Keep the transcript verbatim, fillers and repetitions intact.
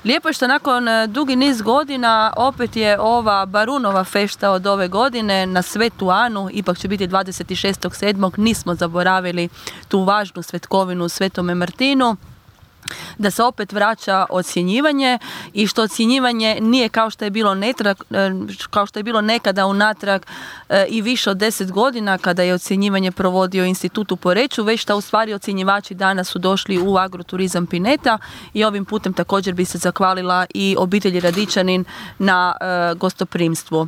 Lijepo je što nakon dugi niz godina opet je ova Barunova fešta od ove godine na Svetu Anu, ipak će biti dvadeset šestog sedmog Nismo zaboravili tu važnu svetkovinu u Svetome Martinu, da se opet vraća ocjenjivanje i što ocjenjivanje nije kao što je bilo netrag, kao što je bilo nekada unatrag i više od deset godina kada je ocjenjivanje provodio Institut u Poreču, već da u stvari ocjenjivači danas su došli u Agroturizam Pineta i ovim putem također bi se zahvalila i obitelji Radičanin na gostoprimstvu.